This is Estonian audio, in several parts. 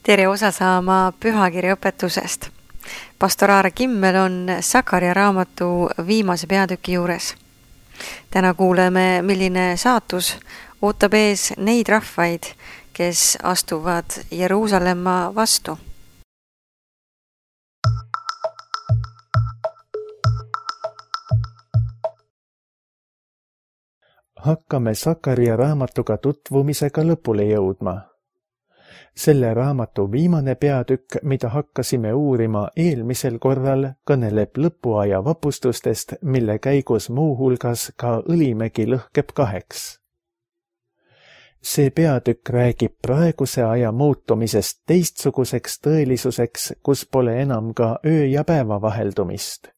Tere osa saama pühakirja õpetusest. Pastor Aare Kimmel on Sakaria raamatu viimase peatüki juures. Täna kuuleme, milline saatus ootab ees neid rahvaid, kes astuvad Jeruusalemma vastu. Hakkame Sakaria raamatuga tutvumisega lõpule jõudma. Selle raamatu viimane peatükk, mida hakkasime uurima eelmisel korral, kõneleb lõpuaja vapustustest, mille käigus muuhulgas ka Õlimägi lõhkeb 2. See peatükk räägib praeguse aja muutumisest teistsuguseks tõelisuseks, kus pole enam ka öö ja päeva vaheldumist.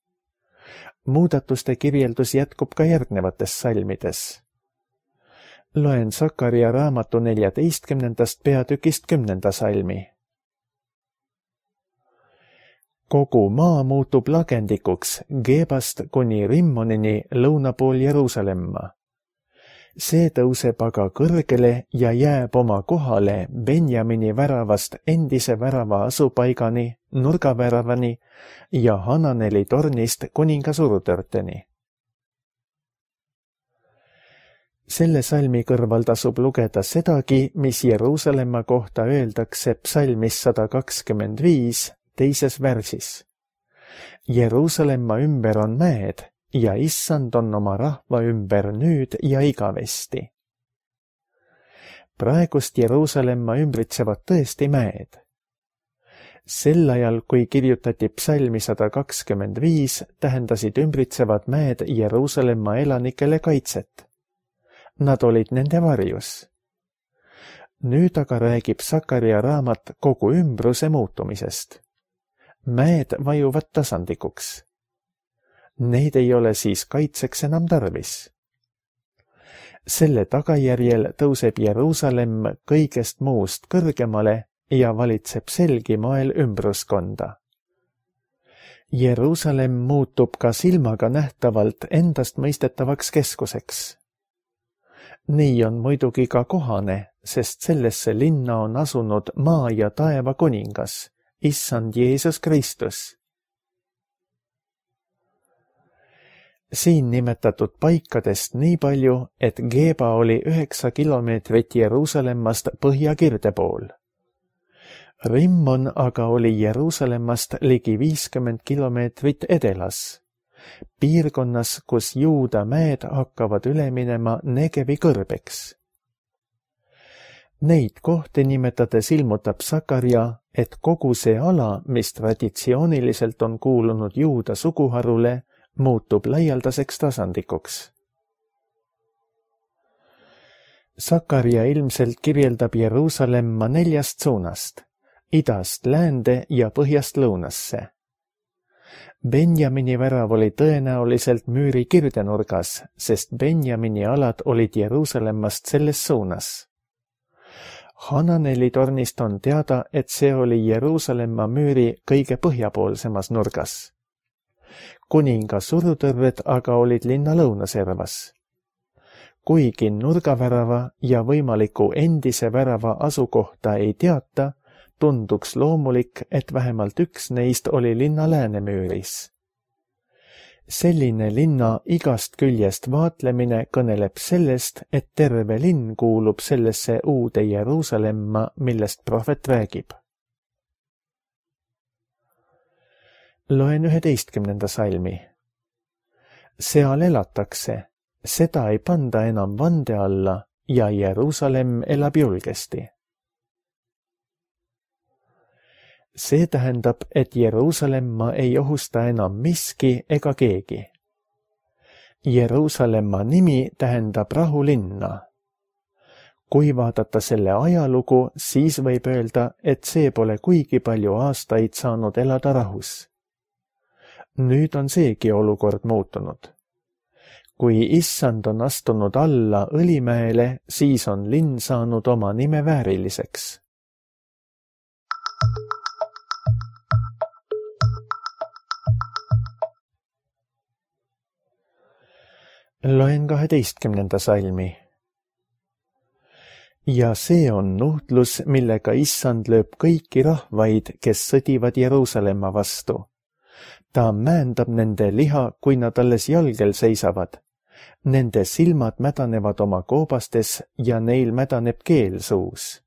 Muudatuste kirjeldus jätkub ka järgnevates salmides. Loen Sakaria raamatu 14. peatükist 10. salmi. Kogu maa muutub lagendikuks Gebast kuni Rimmonini lõunapool Jeruusalemma. See tõuseb aga kõrgele ja jääb oma kohale Benjamini väravast endise värava asupaigani, nurgaväravani ja Hananeli tornist kuninga surutörteni. Selle salmi kõrval tasub lugeda sedagi, mis Jeruusalemma kohta öeldakse psalmis 125 teises värsis. Jeruusalemma ümber on mäed ja issand on oma rahva ümber nüüd ja igavesti. Praegust Jeruusalemma ümbritsevad tõesti mäed. Sel ajal, kui kirjutati psalmi 125, tähendasid ümbritsevad mäed Jeruusalemma elanikele kaitset. Nad olid nende varjus. Nüüd aga räägib Sakaria raamat kogu ümbruse muutumisest. Mäed vajuvad tasandikuks. Neid ei ole siis kaitseks enam tarvis. Selle tagajärjel tõuseb Jeruusalemm kõigest muust kõrgemale ja valitseb selgi moel ümbruskonda. Jeruusalemm muutub ka silmaga nähtavalt endastmõistetavaks keskuseks. Nii on muidugi ka kohane, sest sellesse linna on asunud maa ja taeva kuningas, issand Jeesus Kristus. Siin nimetatud paikadest nii palju, et Geba oli 9 kilomeetrit Jeruusalemmast põhjakirde pool. Rimmon aga oli Jeruusalemmast ligi 50 kilomeetrit edelas. Piirkonnas, kus Juuda mäed hakkavad üle minema Negevi kõrbeks. Neid kohti nimetades ilmutab Sakaria, et kogu see ala, mis traditsiooniliselt on kuulunud Juuda suguharule, muutub laialdaseks tasandikuks. Sakaria ilmselt kirjeldab Jeruusalemma 4 suunast, idast läände ja põhjast lõunasse. Benjamini värav oli tõenäoliselt müüri kirdenurgas, sest Benjamini alad olid Jeruusalemmast selles suunas. Hananeli tornist on teada, et see oli Jeruusalemma müüri kõige põhjapoolsemas nurgas. Kuninga surutõrved aga olid linna lõunaservas. Kuigi nurgavärava ja võimaliku endise värava asukohta ei teata, tunduks loomulik, et vähemalt üks neist oli linna läänemüüris. Selline linna igast küljest vaatlemine kõneleb sellest, et terve linn kuulub sellesse uude Jeruusalemma, millest prohvet räägib. Loen 11. salmi. Seal elatakse, seda ei panda enam vande alla ja Jeruusalemm elab julgesti. See tähendab, et Jeruusalemma ei ohusta enam miski ega keegi. Jeruusalemma nimi tähendab rahulinna. Kui vaadata selle ajalugu, siis võib öelda, et see pole kuigi palju aastaid saanud elada rahus. Nüüd on seegi olukord muutunud. Kui issand on astunud alla Õlimäele, siis on linn saanud oma nime vääriliseks. Loen 12. salmi. ja see on nuhtlus, millega issand lööb kõiki rahvaid, kes sõdivad Jeruusalemma vastu. Ta määndab nende liha, kui nad alles jalgel seisavad. Nende silmad mädanevad oma koobastes ja neil mädaneb keel suus.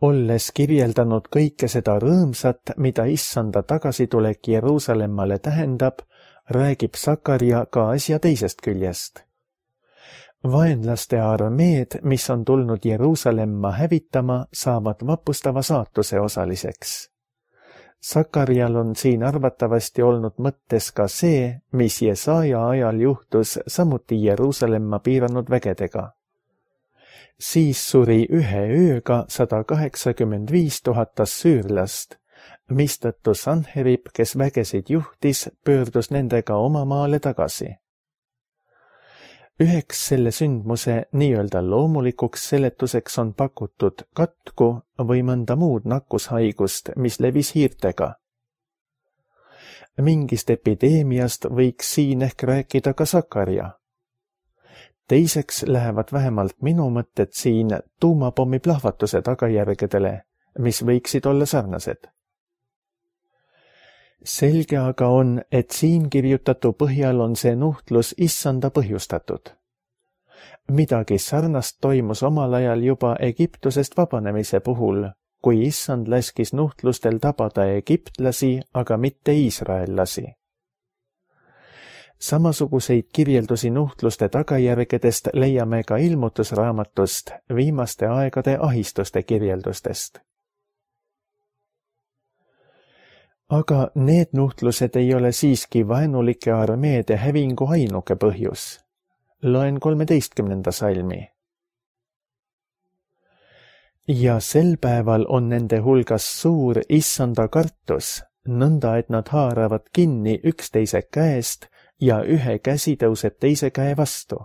Olles kirjeldanud kõike seda rõõmsat, mida issanda tagasitulek Jeruusalemmale tähendab, räägib Sakaria ka asja teisest küljest. Vaenlaste armeed, mis on tulnud Jeruusalemma hävitama, saavad vapustava saatuse osaliseks. Sakarial on siin arvatavasti olnud mõttes ka see, mis Jesaja ajal juhtus samuti Jeruusalemma piiranud vägedega. Siis suri ühe ööga 185 000 assüürlast, mistõttu Sanherib, kes vägesid juhtis, pöördus nendega oma maale tagasi. Üheks selle sündmuse nii-öelda loomulikuks seletuseks on pakutud katku või mõnda muud nakkushaigust, mis levis hiirtega. Mingist epideemiast võiks siin ehk rääkida ka Sakaria. Teiseks lähevad vähemalt minu mõtted siin tuumapommi plahvatuse tagajärgedele, mis võiksid olla sarnased. Selge aga on, et siin kirjutatu põhjal on see nuhtlus issanda põhjustatud. Midagi sarnast toimus omal ajal juba Egiptusest vabanemise puhul, kui issand laskis nuhtlustel tabada egiptlasi, aga mitte iisraellasi. Samasuguseid kirjeldusi nuhtluste tagajärgedest leiame ka ilmutusraamatust, viimaste aegade ahistuste kirjeldustest. Aga need nuhtlused ei ole siiski vaenulike armeede hävingu ainuke põhjus. Loen 13. salmi. Ja sel päeval on nende hulgas suur issanda kartus, nõnda et nad haaravad kinni üksteise käest ja ühe käsi tõuseb teise käe vastu.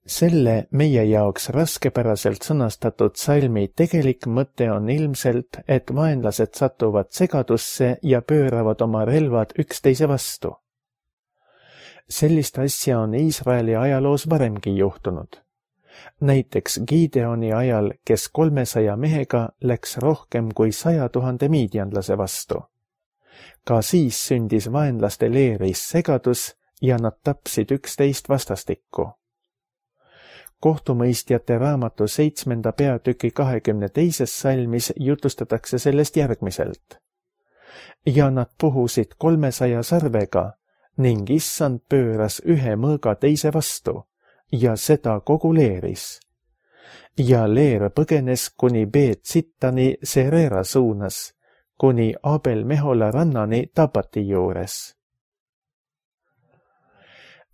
Selle meie jaoks raskepäraselt sõnastatud salmi tegelik mõte on ilmselt, et vaenlased satuvad segadusse ja pööravad oma relvad üksteise vastu. Sellist asja on Iisraeli ajaloos varemgi juhtunud. Näiteks Gideoni ajal, kes 300 mehega läks rohkem kui 100 000 miidjanlase vastu. Ka siis sündis vaenlaste leeris segadus ja nad tapsid üksteist vastastikku. Kohtumõistjate raamatu 7. peatüki 22. salmis jutustatakse sellest järgmiselt. Ja nad puhusid 300 sarvega ning issand pööras ühe mõõga teise vastu ja seda kogu leeris. Ja leer põgenes kuni Beet Sittani Serera suunas, kuni Abel Mehola rannani Tabati juures.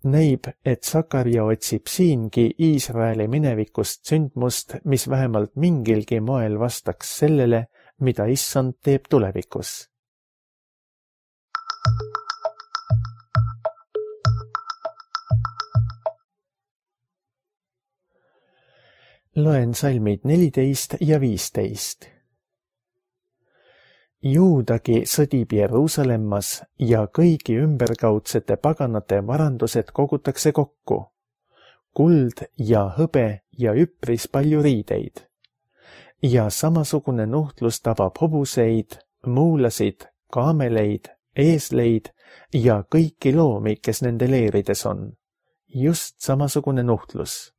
Näib, et Sakaria otsib siingi Iisraeli minevikust sündmust, mis vähemalt mingilgi moel vastaks sellele, mida issand teeb tulevikus. Loen salmid 14 ja 15. Juudagi sõdib Jeruusalemmas ja kõigi ümberkaudsete paganate varandused kogutakse kokku. Kuld ja hõbe ja üpris palju riideid. Ja samasugune nuhtlus tabab hobuseid, muulasid, kaameleid, eesleid ja kõiki loomi, kes nende leerides on. Just samasugune nuhtlus.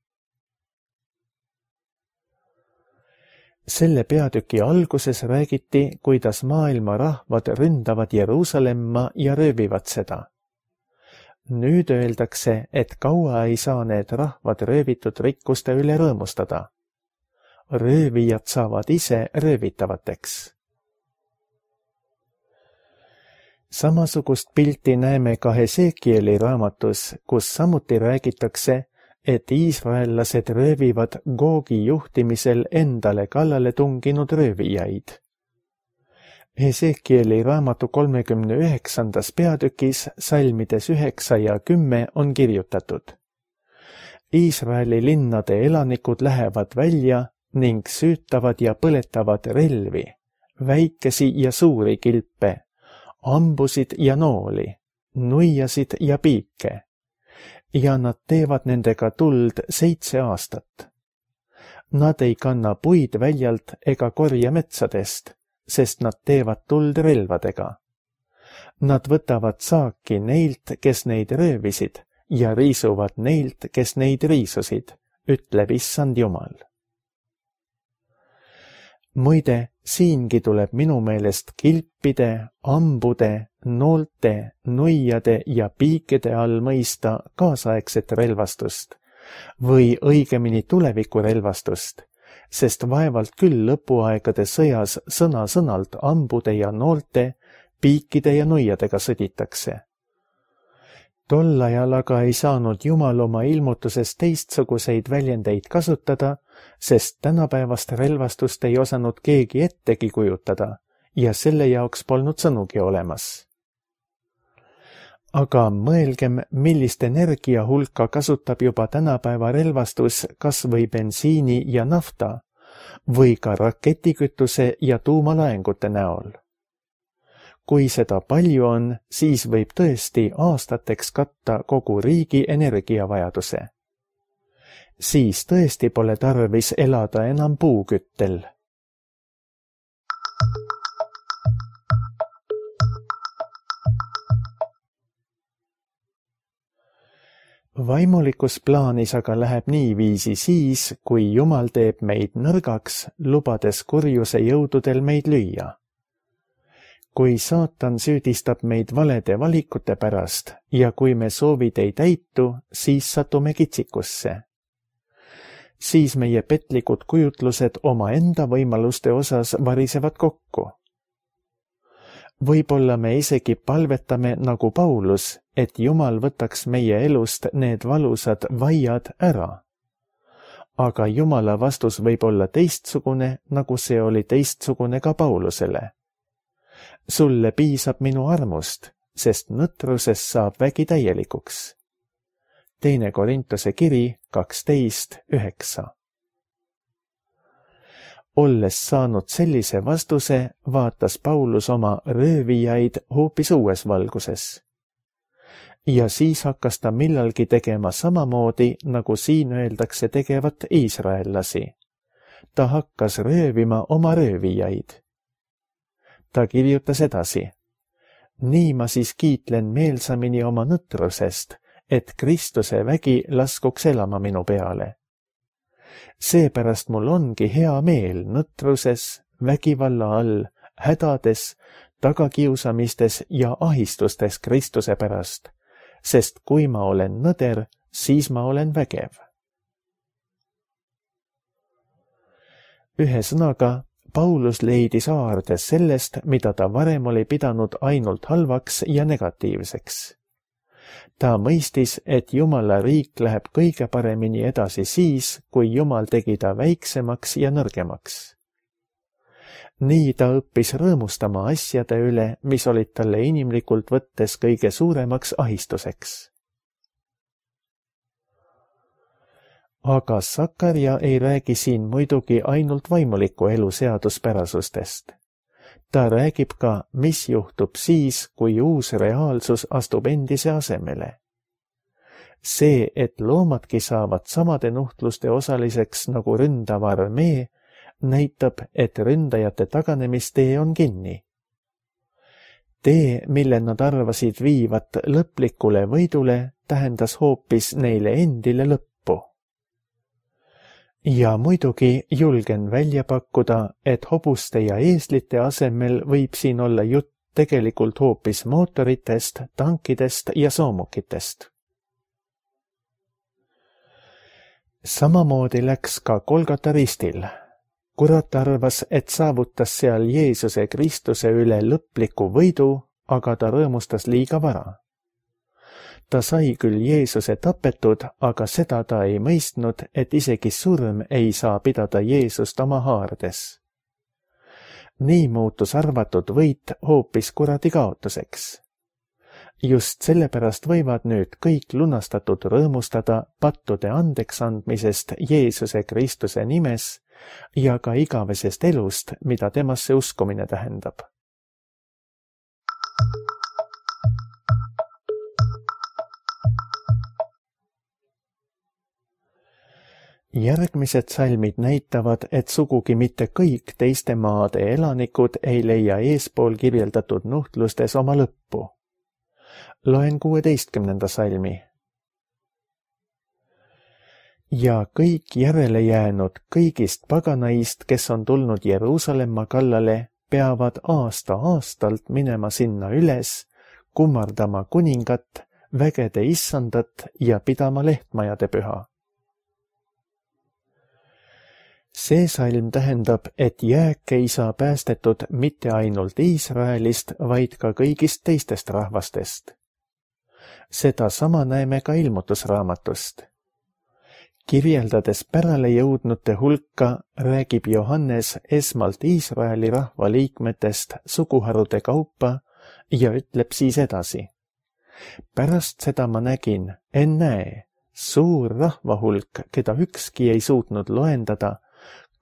Selle peatüki alguses räägiti, kuidas maailma rahvad ründavad Jeruusalemma ja röövivad seda. Nüüd öeldakse, et kaua ei saa need rahvad röövitud rikkuste üle rõõmustada. Röövijad saavad ise röövitavateks. Samasugust pilti näeme ka Hesekieli raamatus, kus samuti räägitakse, et iisraellased röövivad Googi juhtimisel endale kallale tunginud röövijaid. Hesekieli raamatu 39. peatükis salmides 9 ja 10 on kirjutatud. Iisraeli linnade elanikud lähevad välja ning süütavad ja põletavad relvi, väikesi ja suuri kilpe, ambusid ja nooli, nuiasid ja piike. ja nad teevad nendega tuld 7 aastat. Nad ei kanna puid väljalt ega korja metsadest, sest nad teevad tuld relvadega. Nad võtavad saaki neilt, kes neid röövisid, ja riisuvad neilt, kes neid riisusid, ütleb Issand Jumal. Muide, siingi tuleb minu meelest kilpide, ambude, noolte, nuiade ja piikide all mõista kaasaegset relvastust või õigemini tulevikurelvastust, sest vaevalt küll lõpuaegade sõjas sõna-sõnalt ambude ja noolte, piikide ja nuiadega sõditakse. Tol ajal aga ei saanud Jumal oma ilmutuses teistsuguseid väljendeid kasutada, sest tänapäevast relvastust ei osanud keegi ettegi kujutada ja selle jaoks polnud sõnugi olemas. Aga mõelgem, millist energiahulka kasutab juba tänapäeva relvastus kas või bensiini ja nafta või ka raketikütuse ja tuumalaengute näol. Kui seda palju on, siis võib tõesti aastateks katta kogu riigi energiavajaduse. Siis tõesti pole tarvis elada enam puuküttel. Vaimulikus plaanis aga läheb niiviisi siis, kui Jumal teeb meid nõrgaks, lubades kurjuse jõududel meid lüüa. Kui saatan süüdistab meid valede valikute pärast ja kui me soovid ei täitu, siis satume kitsikusse. Siis meie petlikud kujutlused oma enda võimaluste osas varisevad kokku. Võib-olla me isegi palvetame nagu Paulus, et Jumal võtaks meie elust need valusad vaiad ära. Aga Jumala vastus võib olla teistsugune, nagu see oli teistsugune ka Paulusele. Sulle piisab minu armust, sest nõtrusest saab vägi täielikuks. 2 Korintuse kiri 12:9. Olles saanud sellise vastuse, vaatas Paulus oma röövijaid hoopis uues valguses. Ja siis hakkas ta millalgi tegema samamoodi, nagu siin öeldakse tegevat iisraellasi. Ta hakkas röövima oma röövijaid. Ta kirjutas edasi. Nii ma siis kiitlen meelsamini oma nõtrusest, et Kristuse vägi laskuks elama minu peale. Seepärast mul ongi hea meel nõtruses, vägivalla all, hädades, tagakiusamistes ja ahistustes Kristuse pärast, sest kui ma olen nõder, siis ma olen vägev. Ühesõnaga, Paulus leidis haardes sellest, mida ta varem oli pidanud ainult halvaks ja negatiivseks. Ta mõistis, et Jumala riik läheb kõige paremini edasi siis, kui Jumal tegi ta väiksemaks ja nõrgemaks. Nii ta õppis rõõmustama asjade üle, mis olid talle inimlikult võttes kõige suuremaks ahistuseks. Aga Sakarja ei räägi siin muidugi ainult vaimuliku elu seaduspärasustest. Ta räägib ka, mis juhtub siis, kui uus reaalsus astub endise asemele. See, et loomadki saavad samade nuhtluste osaliseks nagu ründav armee, näitab, et ründajate taganemistee on kinni. Tee, mille nad arvasid viivat lõplikule võidule, tähendas hoopis neile endile lõppu. Ja muidugi julgen välja pakkuda, et hobuste ja eeslite asemel võib siin olla jutt tegelikult hoopis mootoritest, tankidest ja soomukitest. Samamoodi läks ka Golgota ristil. Kurat arvas, et saavutas seal Jeesuse Kristuse üle lõpliku võidu, aga ta rõõmustas liiga vara. Ta sai küll Jeesuse tapetud, aga seda ta ei mõistnud, et isegi surm ei saa pidada Jeesust oma haardes. Nii muutus arvatud võit hoopis kuradi kaotuseks. Just sellepärast võivad nüüd kõik lunastatud rõõmustada pattude andeks andmisest Jeesuse Kristuse nimes ja ka igavesest elust, mida temasse uskumine tähendab. Järgmised salmid näitavad, et sugugi mitte kõik teiste maade elanikud ei leia eespool kirjeldatud nuhtlustes oma lõppu. Loen 16. salmi. Ja kõik järele jäänud kõigist paganaist, kes on tulnud Jeruusalemma kallale, peavad aasta-aastalt minema sinna üles, kummardama kuningat, vägede issandat ja pidama lehtmajade püha. See salm tähendab, et jääk ei saa päästetud mitte ainult Iisraelist, vaid ka kõigist teistest rahvastest. Seda sama näeme ka ilmutusraamatust. Kirjeldades pärale jõudnute hulka, räägib Johannes esmalt Iisraeli rahva liikmetest suguharude kaupa ja ütleb siis edasi. Pärast seda ma nägin, ennäe, suur rahvahulk, keda ükski ei suutnud loendada,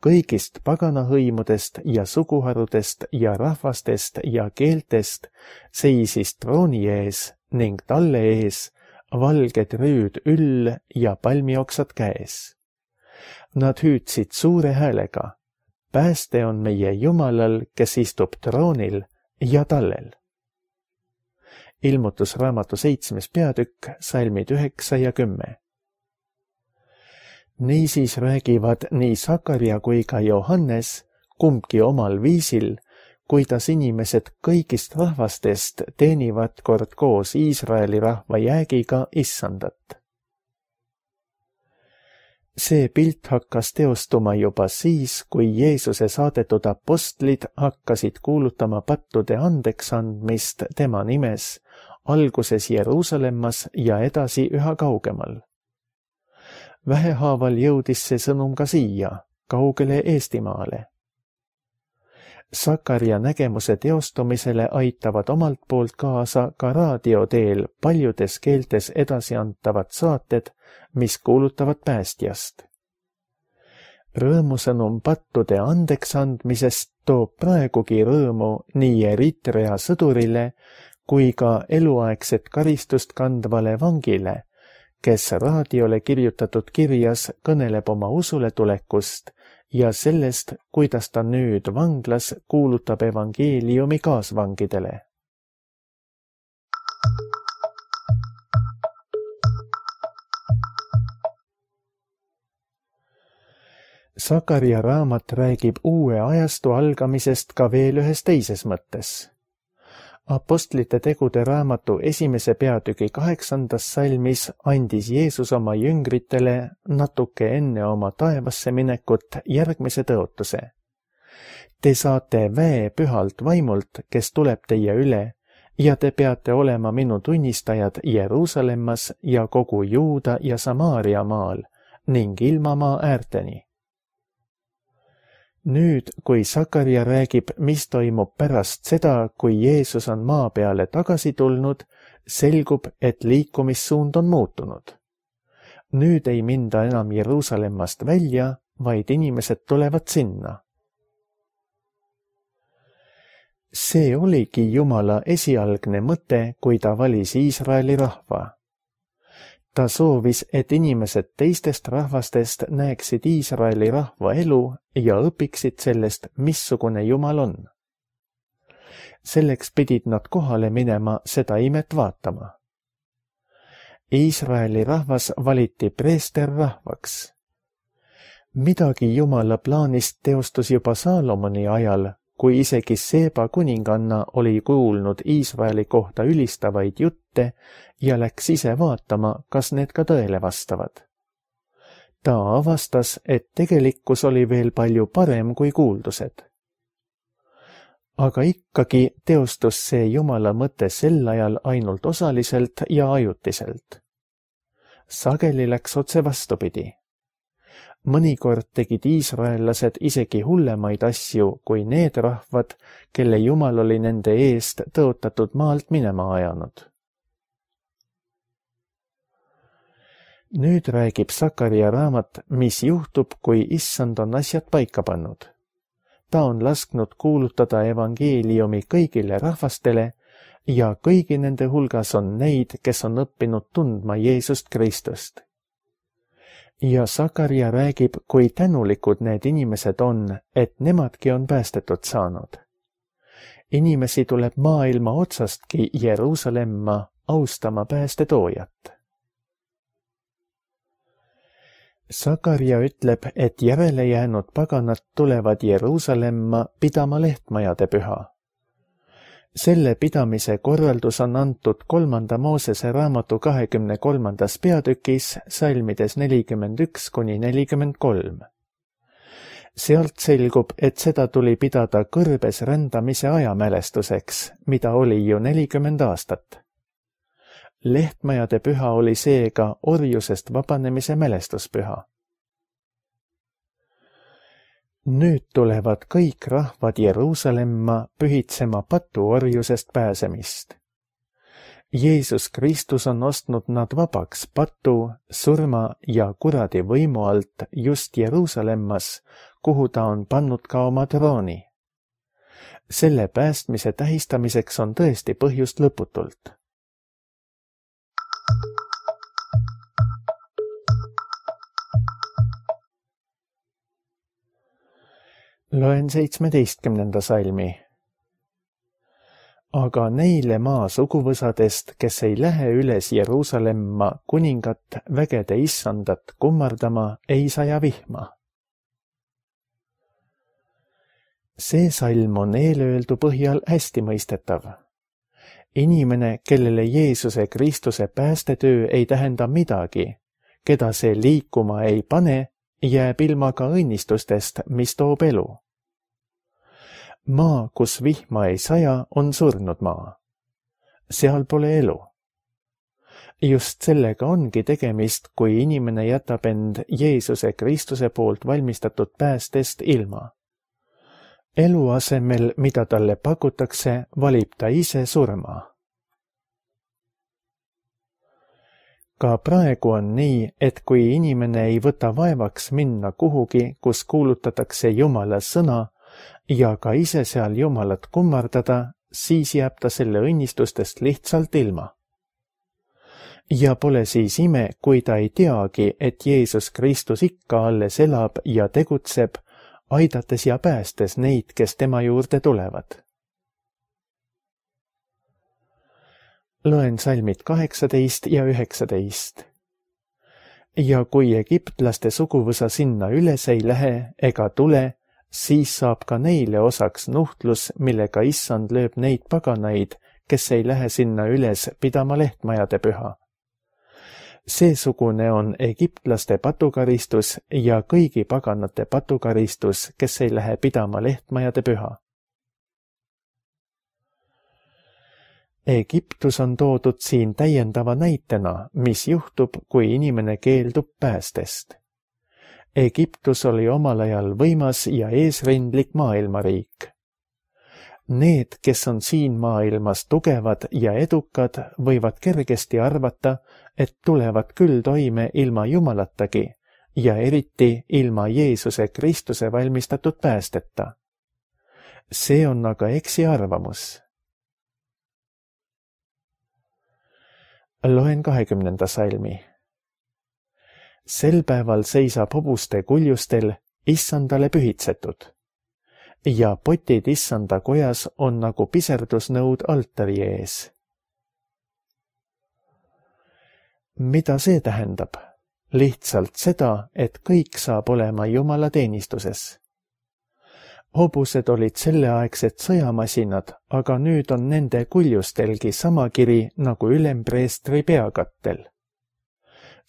kõigist paganahõimudest ja suguharudest ja rahvastest ja keeltest seisis trooni ees ning talle ees valged rüüd üll ja palmioksad käes. Nad hüüdsid suure häälega, pääste on meie Jumalal, kes istub troonil ja tallel. Ilmutusraamatu 7. peatükk, salmid 9 ja 10. Niisiis räägivad nii Sakaria kui ka Johannes, kumbki omal viisil, kuidas inimesed kõigist rahvastest teenivad kord koos Iisraeli rahva jäägiga issandat. See pilt hakkas teostuma juba siis, kui Jeesuse saadetud apostlid hakkasid kuulutama pattude andeks andmist tema nimes, alguses Jeruusalemmas ja edasi üha kaugemal. Vähehaaval jõudis see sõnum ka siia, kaugele Eestimaale. Sakaria nägemuse teostumisele aitavad omalt poolt kaasa ka raadioteel paljudes keeltes edasi antavad saated, mis kuulutavad päästjast. Rõõmusõnum pattude andeks andmisest toob praegugi rõõmu nii Eritrea sõdurile kui ka eluaegset karistust kandvale vangile, kes raadiole kirjutatud kirjas kõneleb oma usule tulekust ja sellest, kuidas ta nüüd vanglas kuulutab evangeeliumi kaasvangidele. Sakaria raamat räägib uue ajastu algamisest ka veel ühes teises mõttes. Apostlite tegude raamatu 1. peatüki 8. salmis andis Jeesus oma jüngritele natuke enne oma taevasse minekut järgmise tõotuse. Te saate väe pühalt vaimult, kes tuleb teie üle, ja te peate olema minu tunnistajad Jeruusalemmas ja kogu Juuda ja Samaaria maal ning ilmamaa äärteni. Nüüd, kui Sakaria räägib, mis toimub pärast seda, kui Jeesus on maa peale tagasi tulnud, selgub, et liikumissuund on muutunud. Nüüd ei minda enam Jeruusalemmast välja, vaid inimesed tulevad sinna. See oligi Jumala esialgne mõte, kui ta valis Iisraeli rahva. Ta soovis, et inimesed teistest rahvastest näeksid Iisraeli rahva elu ja õpiksid sellest, missugune Jumal on. Selleks pidid nad kohale minema seda imet vaatama. Iisraeli rahvas valiti preesterrahvaks. Midagi Jumala plaanist teostus juba Saalomoni ajal, kui isegi Seeba kuninganna oli kuulnud Iisraeli kohta ülistavaid jutte ja läks ise vaatama, kas need ka tõele vastavad. Ta avastas, et tegelikkus oli veel palju parem kui kuuldused. Aga ikkagi teostus see Jumala mõte sel ajal ainult osaliselt ja ajutiselt. Sageli läks otse vastupidi. Mõnikord tegid iisraellased isegi hullemaid asju kui need rahvad, kelle Jumal oli nende eest tõotatud maalt minema ajanud. Nüüd räägib Sakaria raamat, mis juhtub, kui issand on asjad paika pannud. Ta on lasknud kuulutada evangeeliumi kõigile rahvastele ja kõigi nende hulgas on neid, kes on õppinud tundma Jeesust Kristust. ja Sakaria räägib, kui tänulikud need inimesed on, et nemadki on päästetud saanud. Inimesi tuleb maailma otsastki Jeruusalemma austama päästetoojat. Sakaria ütleb, et järele jäänud paganad tulevad Jeruusalemma pidama lehtmajade püha. Selle pidamise korraldus on antud 3. Moosese raamatu 23. peatükis salmides 41–43. Sealt selgub, et seda tuli pidada kõrbes rändamise ajamälestuseks, mida oli ju 40 aastat. Lehtmajade püha oli seega orjusest vabanemise mälestuspüha. Nüüd tulevad kõik rahvad Jeruusalemma pühitsema patuorjusest pääsemist. Jeesus Kristus on ostnud nad vabaks patu, surma ja kuradi võimu alt just Jeruusalemmas, kuhu ta on pannud ka oma trooni. Selle päästmise tähistamiseks on tõesti põhjust lõputult. Loen 17. salmi. Aga neile maa suguvõsadest, kes ei lähe üles Jeruusalemma kuningat vägede issandat kummardama, ei saja vihma. See salm on eelöeldu põhjal hästi mõistetav. Inimene, kellele Jeesuse Kristuse päästetöö ei tähenda midagi, keda see liikuma ei pane, jääb ilma ka õnnistustest, mis toob elu. Maa, kus vihma ei saja, on surnud maa. Seal pole elu. Just sellega ongi tegemist, kui inimene jätab end Jeesuse Kristuse poolt valmistatud päästest ilma. Elu asemel, mida talle pakutakse, valib ta ise surma. Ka praegu on nii, et kui inimene ei võta vaevaks minna kuhugi, kus kuulutatakse Jumala sõna ja ka ise seal Jumalat kummardada, siis jääb ta selle õnnistustest lihtsalt ilma. Ja pole siis ime, kui ta ei teagi, et Jeesus Kristus ikka alles elab ja tegutseb, aidates ja päästes neid, kes tema juurde tulevad. Loen salmid 18 ja 19. Ja kui egiptlaste suguvõsa sinna üles ei lähe ega tule, siis saab ka neile osaks nuhtlus, millega issand lööb neid paganaid, kes ei lähe sinna üles pidama lehtmajade püha. Seesugune on egiptlaste patukaristus ja kõigi paganate patukaristus, kes ei lähe pidama lehtmajade püha. Egiptus on toodud siin täiendava näitena, mis juhtub, kui inimene keeldub päästest. Egiptus oli omal ajal võimas ja eesrindlik maailmariik. Need, kes on siin maailmas tugevad ja edukad, võivad kergesti arvata, et tulevad küll toime ilma Jumalatagi ja eriti ilma Jeesuse Kristuse valmistatud päästeta. See on aga eksiarvamus. Loen 20. salmi. Sel päeval seisab hobuste kuljustel issandale pühitsetud ja potid issanda kojas on nagu piserdusnõud altari ees. Mida see tähendab? Lihtsalt seda, et kõik saab olema Jumala teenistuses. Hobused olid selleaegsed sõjamasinad, aga nüüd on nende kuljustelgi sama kiri nagu ülempreestri peakattel.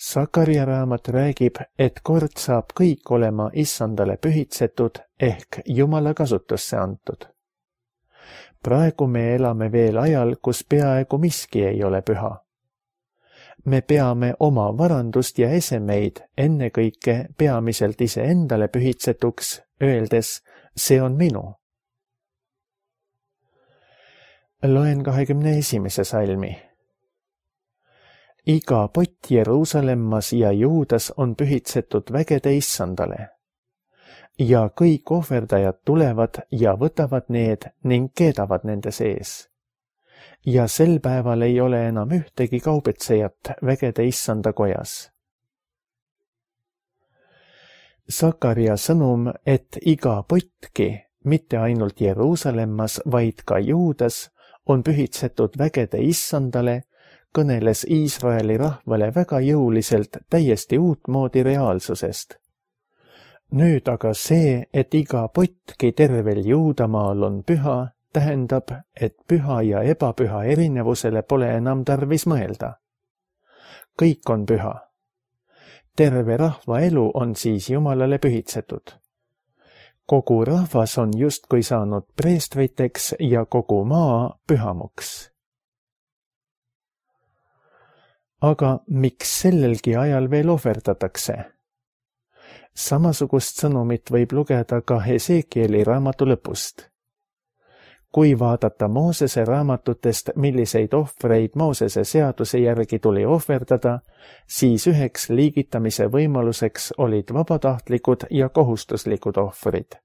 Sakaria raamat räägib, et kord saab kõik olema issandale pühitsetud ehk Jumala kasutusse antud. Praegu me elame veel ajal, kus peaaegu miski ei ole püha. Me peame oma varandust ja esemeid ennekõike peamiselt iseendale pühitsetuks, öeldes, see on minu. Loen 21. salmi. Iga pott Jeruusalemmas ja Juudas on pühitsetud vägede issandale. Ja kõik ohverdajad tulevad ja võtavad need ning keedavad nende sees. Ja sel päeval ei ole enam ühtegi kaubetsejat vägede issanda kojas. Sakaria sõnum, et iga potki, mitte ainult Jeruusalemmas, vaid ka Juudas, on pühitsetud vägede issandale, kõneles Iisraeli rahvale väga jõuliselt täiesti uutmoodi reaalsusest. Nüüd aga see, et iga potki tervel Juudamaal on püha, tähendab, et püha ja ebapüha erinevusele pole enam tarvis mõelda. Kõik on püha. Terve rahva elu on siis Jumalale pühitsetud. Kogu rahvas on justkui saanud preestriteks ja kogu maa pühamuks. Aga miks sellelgi ajal veel ohverdatakse? Samasugust sõnumit võib lugeda ka Hesekieli raamatu lõpust. Kui vaadata Moosese raamatutest, milliseid ohvreid Moosese seaduse järgi tuli ohverdada, siis üheks liigitamise võimaluseks olid vabatahtlikud ja kohustuslikud ohvrid.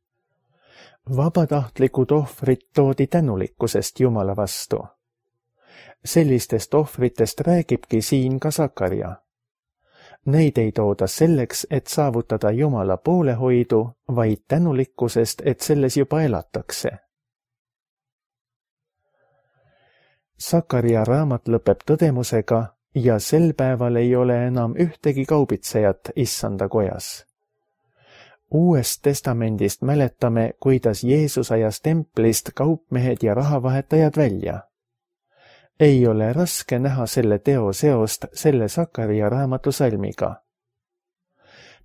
Vabatahtlikud ohvrid toodi tänulikkusest Jumala vastu. Sellistest ohvritest räägibki siin ka Sakaria. Neid ei tooda selleks, et saavutada Jumala poolehoidu, vaid tänulikkusest, et selles juba elatakse. Sakaria raamat lõpeb tõdemusega ja sel päeval ei ole enam ühtegi kaubitsejat issanda kojas. Uuest testamendist mäletame, kuidas Jeesus ajas templist kaupmehed ja rahavahetajad välja. Ei ole raske näha selle teo seost selle Sakaria raamatu salmiga.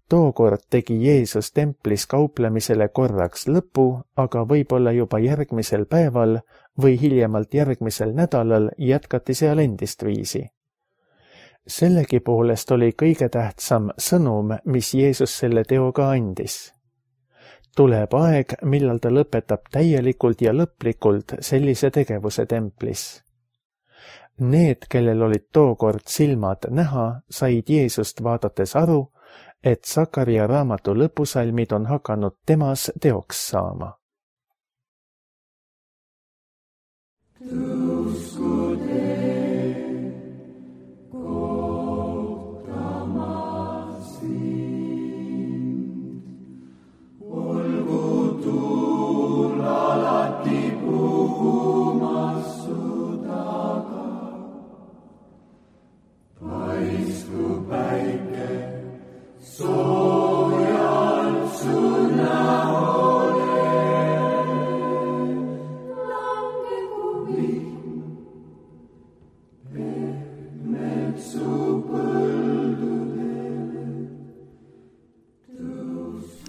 Tookord tegi Jeesus templis kauplemisele korraks lõpu, aga võib-olla juba järgmisel päeval või hiljemalt järgmisel nädalal jätkati seal endist viisi. Sellegi poolest oli kõige tähtsam sõnum, mis Jeesus selle teoga andis. Tuleb aeg, millal ta lõpetab täielikult ja lõplikult sellise tegevuse templis. Need, kellel olid tookord silmad näha, said Jeesust vaadates aru, et Sakaria raamatu lõpusalmid on hakanud temas teoks saama.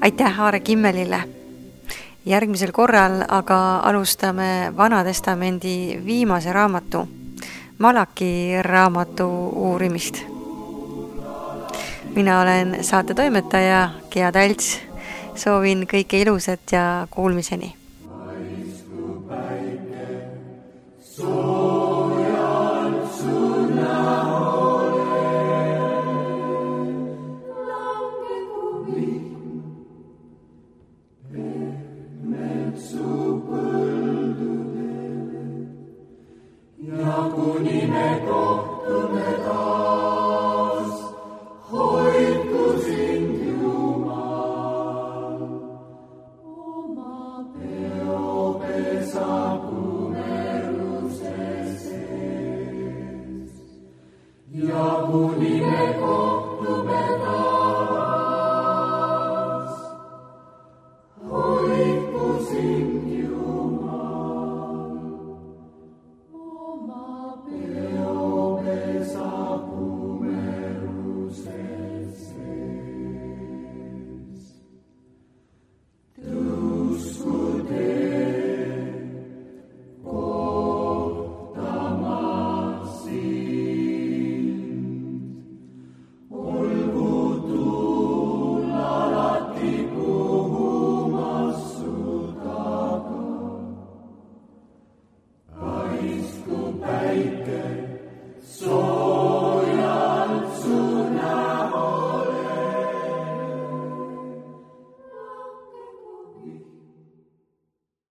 Aitäh Aare Kimmelile! Järgmisel korral aga alustame Vana Testamendi viimase raamatu, Malaki raamatu uurimist. Mina olen saate toimetaja Gea Talts. Soovin kõike ilusat ja kuulmiseni!